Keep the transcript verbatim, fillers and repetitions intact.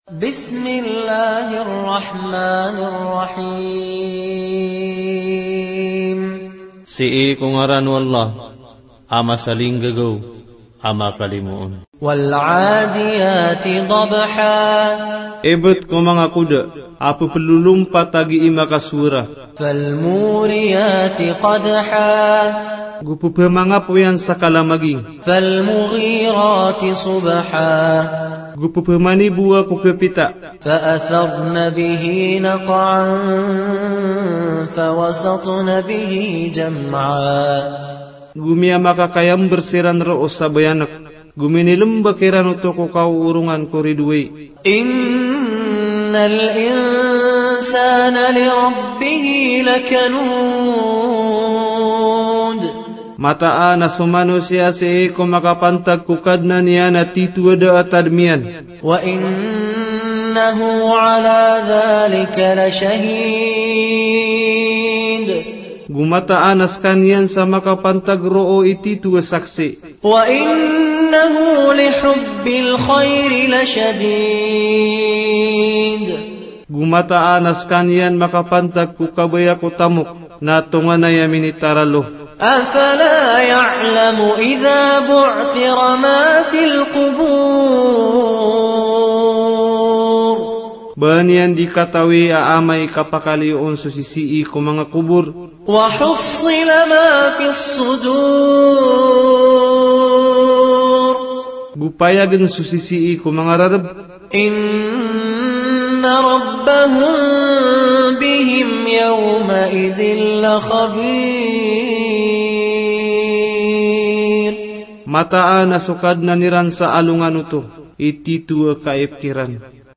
بسم الله الرحمن الرحيم. Sii ko ngaran o Allah a masalinggagaw a makalimoon. والعاديات ضبحا. Ibt ko manga koda a pplolompat a gii makasowara. فالموريات قدحا. Go pphamangapoyan sa kalamaging. فالمغيرات صبحا. Go pphamanibowa ko kapita. فأثرن به نقعا فوسطن به جمعا. Go miyamakakayamber siran roo sa bayanek. Go minilmbk iran oto ko kaoorongan ko ridowai. إن الإنسان لربه لكنود. Mataan a so manosiya sii ko makapantag ko Kadnan iyan a titho a da a tadm iyan. وإنه على ذلك لشهيد. Go mataan a skaniyan sa makapantag roo i titho a saksi. وإنه لحب الخير لشديد. Go mataan a skaniyan makapantag ko kabaya ko tamok na tonganay a minitaralo. أفلا يعلم إذا بعثر ما في القبور. Ba niyan di katawi a amay kapakaliyoon so sisii ko manga kobor. وحصل ما في الصدور. Go payagn so sisii ko manga rarb. إن ربهم بهم يومئذ لخبير. Mataan a so Kadnan iran sa alongan oto i titho a kaipkiran.